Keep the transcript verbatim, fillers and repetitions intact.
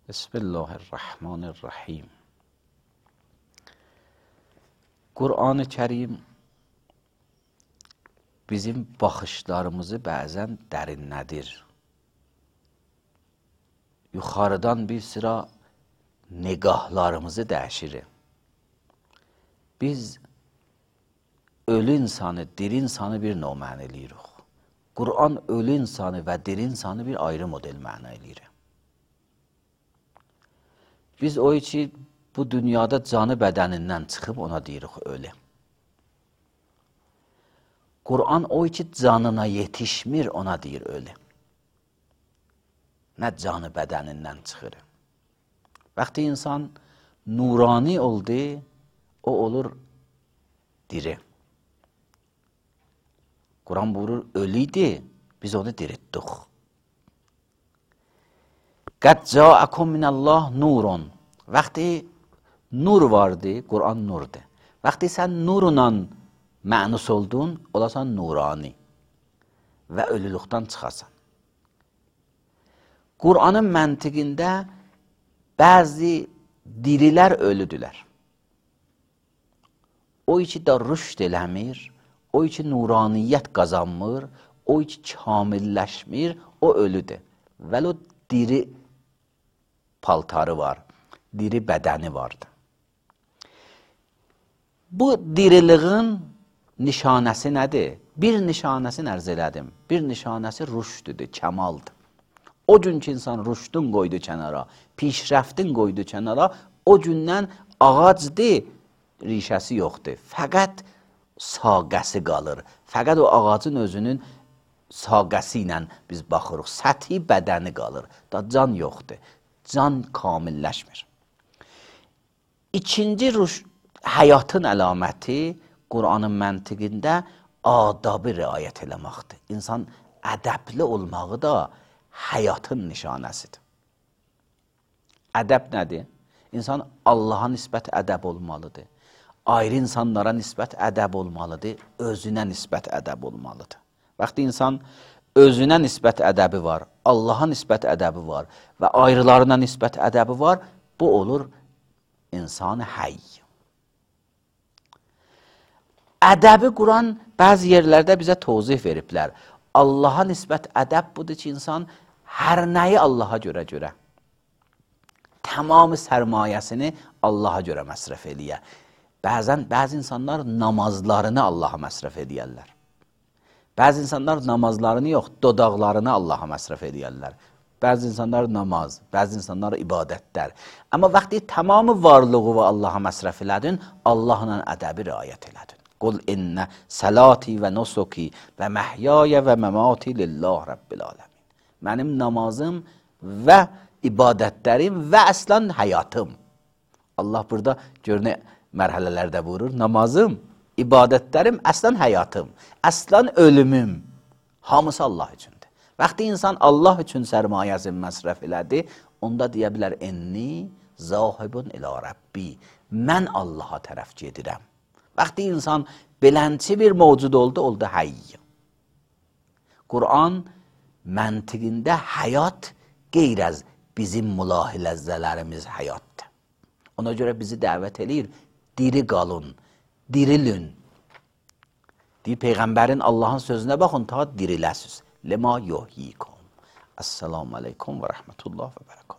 بسم الله الرحمن الرحیم. Qur'an-ı Kerim bizim baxışlarımızı bəzən dərinlədir. Yuxarıdan bir sıra negahlarımızı dəyişir. Biz ölü insanı, diri insanı bir növ məna eləyirik. Qur'an ölü insanı və diri insanı bir ayrı model məna eləyir. Biz o ki bu dünyada canı bədənindən çıxıb ona deyirik ölü. Qur'an o ki canına yetişmir ona deyir ölü. Nə canı bədənindən çıxır. Vaxtı insan nurani oldu, o olur diri. Qur'an buyurur ölüydü, biz onu diritdik. Qad ca'akum minallah nurun. Vaxtı nur vardı, Qur'an nurdu. Vaxtı sən nurla mənus oldun, olasan nurani və ölülükdən çıxasan. Qur'anın məntiqində bəzi dirilər ölüdülər. O ki da rüşd eləmir, o ki nuraniyyət qazanmır, o ki kamilləşmir, o ölüdür. Vəl o diri paltarı var, diri bədəni vardı. Bu diriliğin nişanəsi nədir? Bir nişanəsini ərz elədim. Bir nişanəsi rüşdüdür, kəmaldır. O gün ki insan rüşdün qoydu kənara, pişrəftin qoydu kənara, o gündən ağacdır, rişəsi yoxdur. Fəqət saqəsi qalır. Fəqət o ağacın özünün saqəsi ilə biz baxırıq. Səthi bədəni qalır. Da can yoxdur. Can kamilləşmir. İkinci həyatın əlaməti Qur'anın məntiqində adabı riayət eləməkdir. İnsan ədəbli olmağı da həyatın nişanəsidir. Ədəb nədir? İnsan Allaha nisbət ədəb olmalıdır. Ayrı insanlara nisbət ədəb olmalıdır. Özünə nisbət ədəb olmalıdır. Vaxtı insan özünə nisbət ədəbi var, Allaha nisbət ədəbi var və ayrılarına nisbət ədəbi var, bu olur insan həy. Ədəbi Quran bəzi yerlərdə bizə tozih veriblər. Allaha nisbət ədəb budur ki, insan hər nəyi Allaha görə görə. Tamamı sərmayəsini Allaha görə məsrəf eləyə. Bəzən bəzi insanlar namazlarını Allaha məsrəf edəyərlər. Bəzi insanlar namazlarını yox, dodaqlarını Allaha məsrəf edəyərlər. Bəzi insanlar namaz, bəzi insanlar ibadətlər. Amma vaxtı tamamı varlığı və Allaha məsrəf elədin, Allahla ədəbi riayət elədin. Qul innə səlati və nusuki və məhyaya və məmati lillah rabbil aləmin. Mənim namazım və ibadətlərim və əslən həyatım. Allah burada gör nə mərhələlərdə buyurur. Namazım, ibadətlərim, əslən həyatım, əslən ölümüm. Hamısı Allah üçündür. Vaxtı insan Allah üçün sərmayəsini məsrəf elədi, onda deyə bilər, enni zahibun ilə Rabbi. Mən Allaha tərəf gedirəm. Vaxtı insan belənçi bir mövcud oldu, oldu həy. Qur'an məntiqində həyat qeyr az bizim mülahiləzələrimiz həyatdır. Ona görə bizi dəvət eləyir, diri qalın, dirilin. Deyir, Peyğəmbərin Allahın sözünə baxın, ta diriləsiz. Lema yuhyikum. Esselamu aleykum və rəhmətullah və bərəkət.